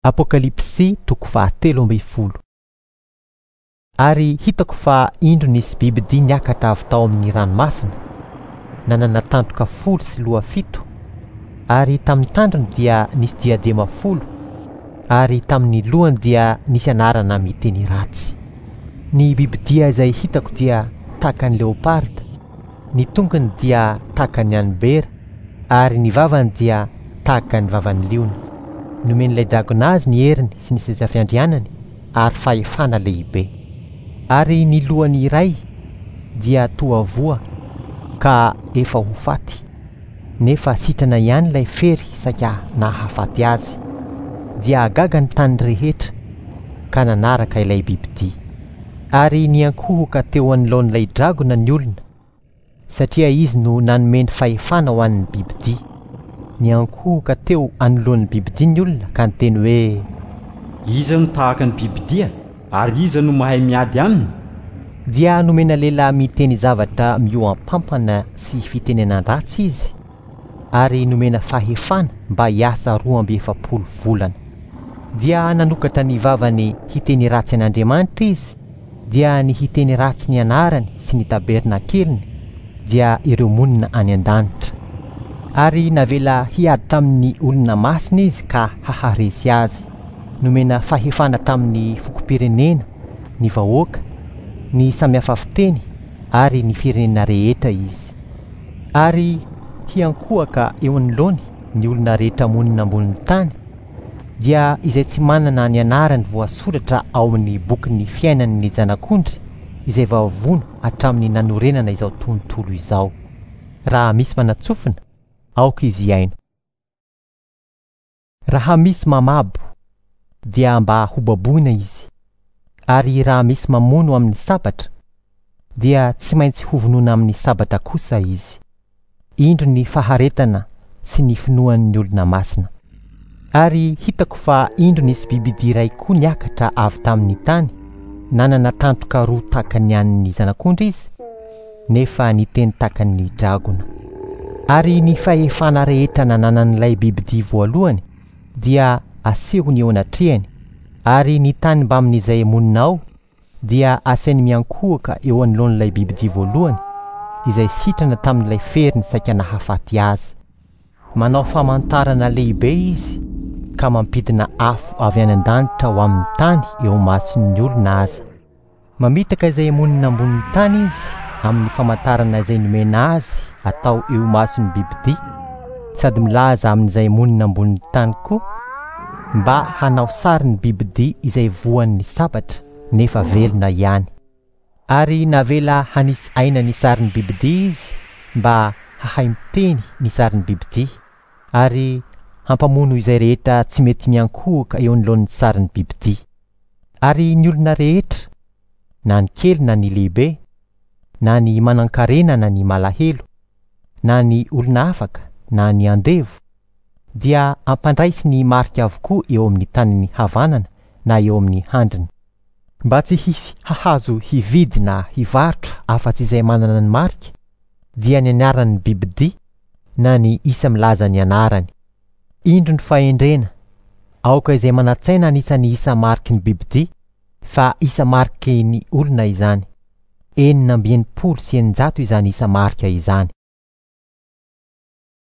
Apokalypsy toko fahatelo ambin'ny folo. Ary hitako fa indro nisy bibidia niakatra avy tao amin'ny ranomasina, nanana tandroka folo sy loha fito, ary tamin'ny tandrony dia nisy diadema folo, ary tamin'ny lohany dia nisy anarana miteny ratsy. Ny bibidia izay hitako dia tahaka ny leoparda, ny tongony dia tahaka ny an'ny bera, ary ny vavany dia tahaka ny vavan'ny liona. Nomen'ilay dragona azy ny heriny sy ny seza fiandrianany ary fahefana lehibe. Ary ny lohany iray dia toa voa ka efa ho faty, nefa sitrana ihany ilay fery saika nahafaty azy. Dia gaga ny tany rehetra ka nanaraka ilay bibidia. Ary niankohoka teo anoloan'ilay dragona ny olona, satria izy no nanome ny fahefana ho an'ny bibidia. Niankohoka teo anoloan'ny bibidia ny olona ka niteny hoe: Iza no tahaka ny bibidia, ary iza no mahay miady aminy? Dia nomena lehilahy miteny zavatra mihoam-pampana sy fitenenan-dratsy izy, ary nomena fahefana mba hiasa 42 volana. Dia nanokatra ny vavany hiteny ratsy an'Andriamanitra izy, dia ny hiteny ratsy ny anarany sy ny tabernakeliny, dia ireo monina any an-danitra. Ary navela hiady tamin'ny olona masina izy ka haharesy azy. Nomena fahefana tamin'ny fokom-pirenena, ny vahoaka, ny samihafa fiteny ary ny firenena rehetra izy. Ary hiankohoka eo anoloany ny olona rehetra monina ambonin'ny tany, dia izay tsy manana ny anarany voasoratra ao amin'ny bokin'ny fiainan'ny Zanak'ondry izay voavono hatramin'ny nanorenana izao tontolo izao. Raha misy manatsofina, aoka izy hihaino. Raha misy mamabo, dia mba hobaboina izy, ary raha misy mamono amin'ny sabatra, dia tsy maintsy hovonoina amin'ny sabatra kosa izy. Indro ny faharetana sy ny finoan'ny olona masina. Ary hitako fa indro nisy bibidia iray koa niakatra avy tamin'ny tany, nanana tandroka roa tahaka ny an'ny zanak'ondry izy, nefa niteny tahaka ny dragona. Ary ny fahefana rehetra nananan'ilay bibidia voalohany dia asehony eo anatrehany, ary ny tany mbamin'izay monina ao dia asainy miankohoka eo anoloan'ilay bibidia voalohany, izay sitrana tamin'ilay feriny saika nahafaty azy. Manao famantarana lehibe izy ka mampidina afo avy any an-danitra ho amin'ny tany eo imason'ny olona aza. Mamitaka izay monina ambonin'ny tany izy amin'ny famantarana izay nomena azy atao eo imason'ny bibidia, sady milaza amin'izay monina ambonin'ny tany koa mba hanao sary ny bibidia izay voan'ny sabatra nefa velona ihany. Ary navela hanisy aina ny sarin'ny bibidia izy mba hahay miteny ny sarin'ny bibidia, ary hampamono izay rehetra tsy mety miankohoka eo anoloan'ny sarin'ny bibidia. Ary ny olona rehetra, na ny kely na ny lehibe, na ny manan-karena na ny malahelo, na ny olona afaka na ny andevo, dia ampandraisy ny marika avokoa eo amin'ny tanany havanana na eo amin'ny handriny, mba tsy hisy hahazo hividy na hivarotra afa-tsy izay manana ny marika, dia ny anaran'ny bibidia na ny isa milaza ny anarany. Indro ny fahendrena, aoka izay manan-tsaina anisan'ny isa mariky ny bibidia, fa isa mariky ny olona izany. 666 izany isa marika izany.